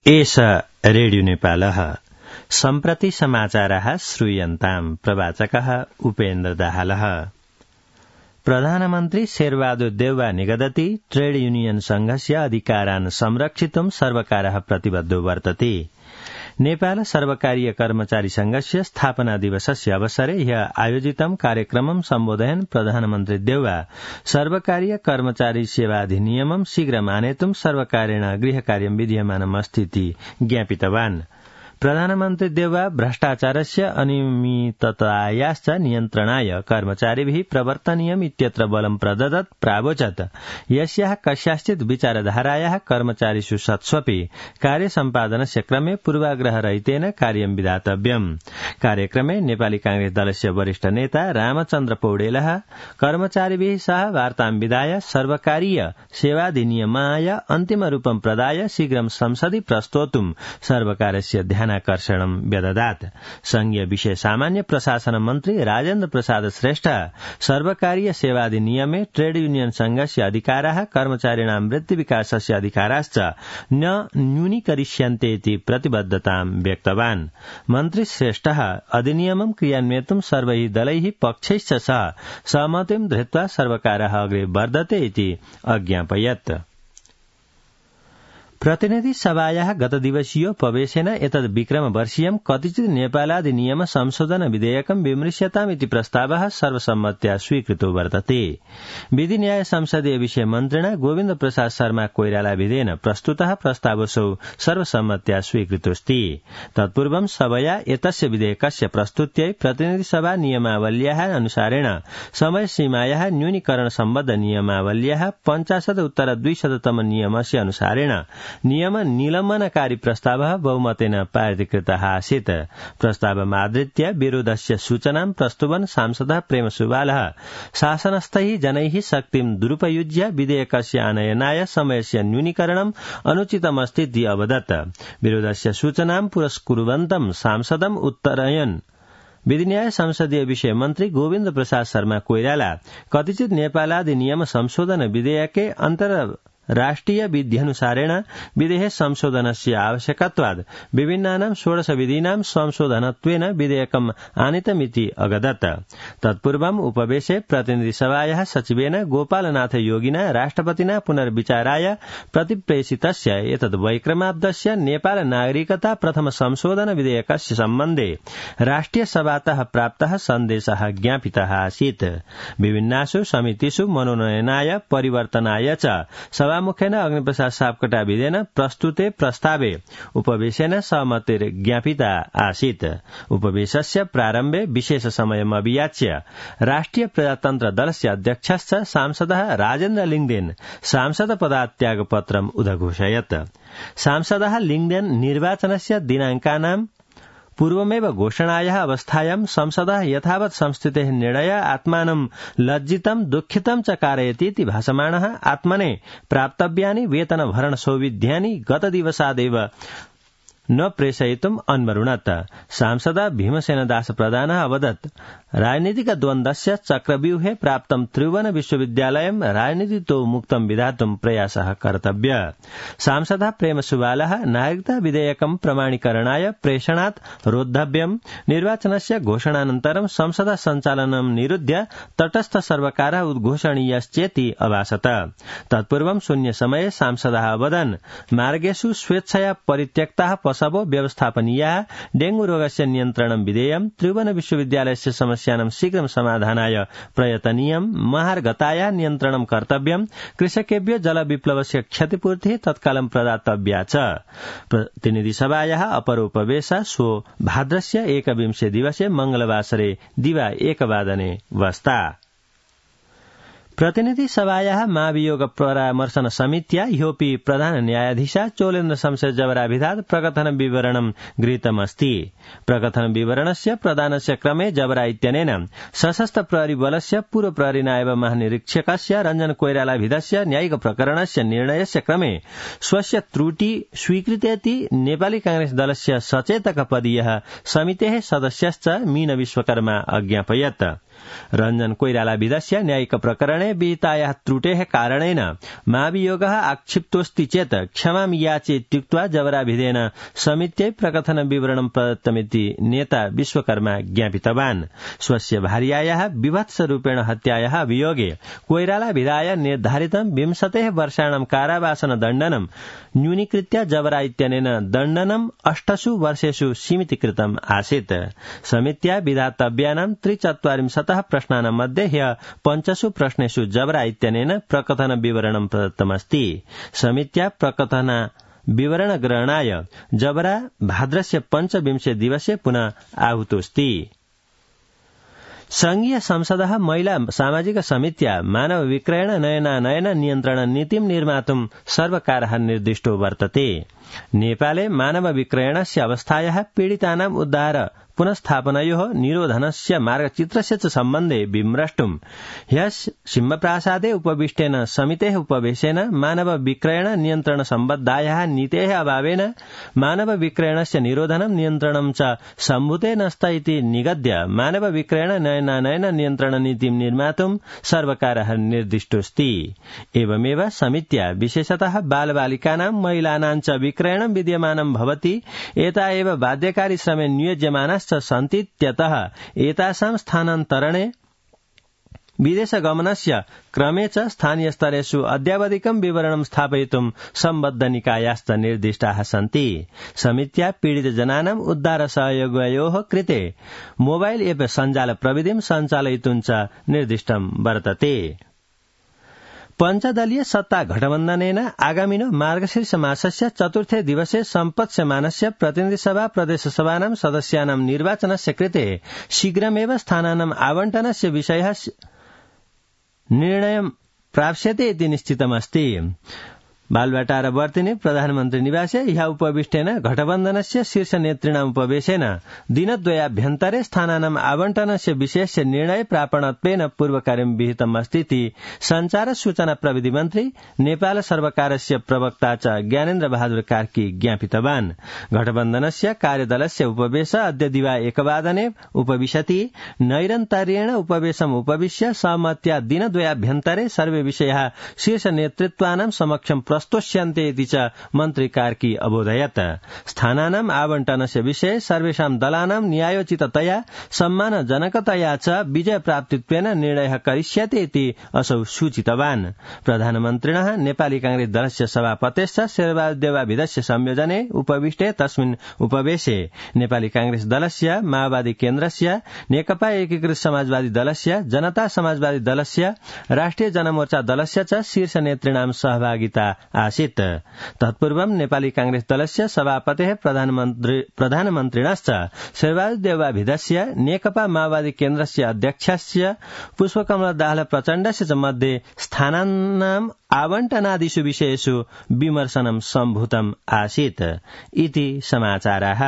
एष रेडियो नेपालः सम्प्रति समाचारः श्रूयन्ताम् प्रवाचकः उपेन्द्र दाहालः। प्रधानमन्त्री शेरबहादुर देउवा निगदति ट्रेड यूनियन संघस्य अधिकारान् संरक्षितुं सर्वकारः प्रतिबद्धो वर्तते। नेपाल सर्वकारीय कर्मचारी संघस्य स्थापना दिवसस्य अवसरे ह्यः आयोजितं कार्यक्रमं सम्बोधयन् प्रधानमन्त्री देउवा सर्वकारीय कर्मचारी सेवा अधिनियमं शीघ्रम् आनेतुं सर्वकारेण गृहकार्यं विधीयमानमस्तीति ज्ञापितवान्। प्रधानमन्त्री देउवा भ्रष्टाचारस्य अनियमिततायाश्च नियन्त्रणाय कर्मचारिभिः प्रवर्तनीयम् इत्यत्र बलं प्रददत् प्रावोचत् यस्याः कस्याश्चित् विचारधारायाः कर्मचारिषु सत्स्वपि कार्यसम्पादनस्य क्रमे पूर्वाग्रहरहितेन कार्यं विधातव्यम्। कार्यक्रमे नेपाली कांग्रेस दलस्य वरिष्ठ नेता रामचन्द्र पौडेलः कर्मचारिभिः सह वार्तां विधाय सर्वकारीय सेवाधिनियमाय अन्तिमरूपं प्रदाय शीघ्रं संसदि प्रस्तोतुं सर्वकारस्य ध्यानाकर्षणं व्यददात्। संघीय विषय सामान्य प्रशासन मन्त्री राजेन्द्र प्रसाद श्रेष्ठ सर्वकारीय सेवाधिनियमे ट्रेड यूनियन संघस्य अधिकाराः कर्मचारिणां वृत्तिविकासस्य अधिकाराश्च न न्यूनीकरिष्यन्ते इति प्रतिबद्धतां व्यक्तवान्। मन्त्री श्रेष्ठः अधिनियमं क्रियान्वयितुं सर्वैः दलैः पक्षैश्च सह सहमतिं धृत्वा सर्वकारः अग्रे वर्धते इति अज्ञापयत्। प्रतिनिधि सभायाः गतदिवसीयोपवेशेन एतद् विक्रमवर्षीयं कतिचित् नेपालाधिनियम संशोधन विधेयकं विमृश्यताम् इति प्रस्तावः सर्वसम्मत्या स्वीकृतो वर्तते। विधि न्याय संसदीय विषय मन्त्रिणा गोविन्द प्रसाद शर्मा कोइराला विधेयन प्रस्तुतः प्रस्तावसौ सर्वसम्मत्या स्वीकृतोऽस्ति। तत्पूर्वं सभया एतस्य विधेयकस्य प्रस्तुत्यै प्रतिनिधि सभा नियमावल्याः अनुसारेण समय सीमायाः न्यूनीकरण सम्बद्ध नियमावल्याः 50-200तम नियमस्य अनुसारेण नियम निलम्बनकारी प्रस्तावः बहुमतेन पारितकृतः आसीत्। प्रस्तावमादृत्य विरोधस्य सूचनां प्रस्तुवन् सांसदः प्रेमसुवालः शासनस्थैः जनैः शक्तिं दुरुपयुज्य विधेयकस्य आनयनाय समयस्य न्यूनीकरणम् अनुचितमस्तीति अवदत्। विरोधस्य सूचनां पुरस्कुर्वन्तं सांसदम् उत्तरयन् विधिन्याय संसदीय विषय मन्त्री गोविन्द प्रसाद शर्मा कोइराला कतिचित् नेपालाधिनियम संशोधन विधेयके राष्ट्रिय विध्यनुसारेण विधेः संशोधनस्य आवश्यकत्वाद् विभिन्नानां 16 विधीनां संशोधनत्वेन विधेयकम् आनीतमिति अगदत्। तत्पूर्वम् उपवेशे प्रतिनिधि सभायाः सचिवेन गोपालनाथ योगिना राष्ट्रपतिना पुनर्विचाराय प्रतिप्रेषितस्य एतद् वैक्रमाब्दस्य नेपाल नागरिकता प्रथम संशोधन विधेयकस्य सम्बन्धे राष्ट्रिय सभातः प्राप्तः सन्देशः ज्ञापितः आसीत्। विभिन्नासु समितिषु मनोनयनाय परिवर्तनाय च मुखेन अग्निप्रसाद सापकोटा विधेन प्रस्तुते प्रस्तावे उपवेशेन सहमतिर्ज्ञापिता आसीत्। उपवेशस्य प्रारम्भे विशेष समयमभियाच्य राष्ट्रिय प्रजातन्त्र दलस्य अध्यक्षश्च सांसदः राजेन्द्र लिङदेन सांसद पदात्यागपत्रम् उदघोषयत्। सांसदः लिङदेन निर्वाचनस्य दिनाङ्कानां पूर्वमेव घोषणायाः अवस्थायां संसदः यथावत् संस्थितेः निर्णय आत्मानं लज्जितं दुःखितं च कारयतीति भासमाणः आत्मने प्राप्तव्यानि वेतनभरण सौविध्यानि गतदिवसादेव न प्रेषयितुम् अन्वरुणत्। सांसद भीमसेनदास प्रधानः अवदत् राजनीतिक द्वन्द्वस्य चक्रव्यूहे प्राप्तं त्रिभुवन विश्वविद्यालयं राजनीतितो मुक्तं विधातुं प्रयासः कर्तव्य। सांसदः प्रेमसुवालः नागरिकता विधेयकं प्रमाणीकरणाय प्रेषणात् रोद्धव्यम्। निर्वाचनस्य घोषणानन्तरं संसद सञ्चालनं निरुध्य तटस्थ सर्वकारः उद्घोषणीयश्चेति अभासत। तत्पूर्वं शून्यसमये सांसदः अवदन् मार्गेषु स्वेच्छया परित्यक्ताः पशवो व्यवस्थापनीयाः डेंगू रोगस्य नियन्त्रणं विधेयं त्रिभुवन विश्वविद्यालयस्य समस्यानां शीघ्रं समाधानाय प्रयतनीयं महार्घतायाः नियन्त्रणं कर्तव्यं कृषकेभ्यो जलविप्लवस्य क्षतिपूर्तिः तत्कालं प्रदातव्या च। प्रतिनिधिसभायाः अपरोपवेशः श्वो भाद्रस्य 21 दिवसे मंगलवासरे दिवा 1 वादने वस्ता। प्रतिनिधि सभायाः महाभियोग परामर्शन समित्या ह्योपि प्रधान न्यायाधीशा चोलेन्द्र शमशेर जबराभिधात् प्रकथन विवरणं गृहीतमस्ति। प्रकथन विवरणस्य प्रदानस्य क्रमे जबरा इत्यनेन सशस्त्र प्रहरी बलस्य पूर्व प्रहरी नायब महानिरीक्षकस्य रञ्जन कोइरालाभिधस्य न्यायिक प्रकरणस्य निर्णयस्य क्रमे स्वस्य त्रुटि स्वीकृतेति नेपाली कांग्रेस दलस्य सचेतक पदीयः समितेः सदस्यश्च मीन विश्वकर्मा अज्ञापयत्। रञ्जन कोइराला विधस्य न्यायिक प्रकरणे विहितायाः त्रुटेः कारणेन महाभियोगः आक्षिप्तोऽस्ति चेत् क्षमां याचेत्युक्त्वा जबराभिधेन समित्यै प्रकथन विवरणं प्रदत्तमिति नेता विश्वकर्मा ज्ञापितवान्। स्वस्य भार्यायाः विभत्सरूपेण हत्यायाः अभियोगे कोइराला विधाय निर्धारितं 20 वर्षाणां कारावासदण्डनं न्यूनीकृत्य जबरा इत्यनेन दण्डनं 8 वर्षेषु सीमितीकृतम् आसीत्। समित्या विधातव्यानां 43 प्रश्नानां मध्ये ह्यः 5 प्रश्नेषु जबरा इत्यनेन प्रकथन विवरणं प्रदत्तमस्ति। समित्या प्रकथन विवरण ग्रहणाय जबरा भाद्रस्य 25 दिवसे पुनः आहूतोऽस्ति। संघीय संसदः महिला सामाजिक समित्या मानव विक्रयण नयनानयन नियन्त्रण नीतिं निर्मातुं सर्वकारः निर्दिष्टो वर्तते। नेपाले मानव विक्रयणस्य अवस्थायाः पीडितानां उद्धार पुनस्थापनयोः निरोधनस्य मार्गचित्रस्य च सम्बन्धे विमृष्टुं ह्यः सिंहप्रासादे उपविष्टेन समितेः उपवेशेन मानव विक्रयण नियन्त्रण सम्बद्धायाः नीतेः अभावेन मानव विक्रयणस्य निरोधनं नियन्त्रणं च सम्भूते नस्त इति निगद्य मानव विक्रयण नयनानयन नियन्त्रण नीतिं निर्मातुं सर्वकारः निर्दिष्टोऽस्ति। एवमेव समित्या विशेषतः बालबालिकानां महिलानां च विक्रयणं विद्यमानं भवति। एता एव बाध्यकारी श्रमे नियोज्यमानाश्च सन्तीत्यतः एतासां स्थानान्तरणे विदेशगमनस्य क्रमे च स्थानीयस्तरेषु अद्यावधिकं विवरणं स्थापयितुं सम्बद्धनिकायाश्च निर्दिष्टाः सन्ति। समित्या पीडितजनानाम् उद्धारसहयोगयोः कृते मोबाइल एप सञ्जाल प्रविधिं सञ्चालयितुं च निर्दिष्टं वर्तते। पञ्चदलीय सत्ता गठबन्धनेन आगामिनो मार्गशीर्ष मासस्य 4थे दिवसे सम्पत्स्यमानस्य प्रतिनिधिसभा प्रदेशसभानां सदस्यानां निर्वाचनस्य कृते शीघ्रमेव स्थानानाम् आवण्टनस्य विषयः निर्णयं प्राप्स्यते इति निश्चितमस्ति। बालवाटारवर्तिनि प्रधानमन्त्री निवासे ह्यः उपविष्टेन गठबन्धनस्य शीर्षनेतृणाम् उपवेशेन दिनद्वयाभ्यन्तरे स्थानानाम् आवण्टनस्य विषयस्य निर्णय प्रापणत्वेन पूर्वकार्यं विहितमस्ति इति सञ्चार सूचना प्रविधि मन्त्री नेपाल सर्वकारस्य प्रवक्ता च ज्ञानेन्द्र बहादुर कार्की ज्ञापितवान्। गठबन्धनस्य कार्यदलस्य उपवेश अद्य दिवा 1 वादने उपविशति। नैरन्तर्येण उपवेशम् उपविश्य सहमत्या दिनद्वयाभ्यन्तरे सर्वे विषयाः शीर्षनेतृत्वानां समक्षं प्रस्तोष्यन्ते इति च मन्त्री कार्की अबोधयत्। स्थानानाम् आवण्टनस्य विषये सर्वेषां दलानां न्यायोचिततया सम्मानजनकतया च विजयप्राप्तित्वेन निर्णयः करिष्यते इति असौ सूचितवान्। प्रधानमन्त्रिणः नेपाली कांग्रेस दलस्य सभापतेश्च शेरबहादुर देउवाभिधस्य संयोजने उपविष्टे तस्मिन् उपवेशे नेपाली कांग्रेस दलस्य, माओवादी केन्द्रस्य, नेकपा एकीकृत समाजवादी दलस्य, जनता समाजवादी दलस्य, राष्ट्रिय जनमोर्चा दलस्य च शीर्ष नेतृणां सहभागिता आसीत्। तत्पूर्वं नेपाली कांग्रेस दलस्य सभापतेः प्रधानमन्त्रिणश्च शेरबहादुर देउवाभिधस्य, नेकपा माओवादी केन्द्रस्य अध्यक्षस्य पुष्पकमल दाहाल प्रचण्डस्य च मध्ये स्थानानाम् आवण्टनादिषु विषयेषु विमर्शनं सम्भूतम् आसीत् इति समाचाराः।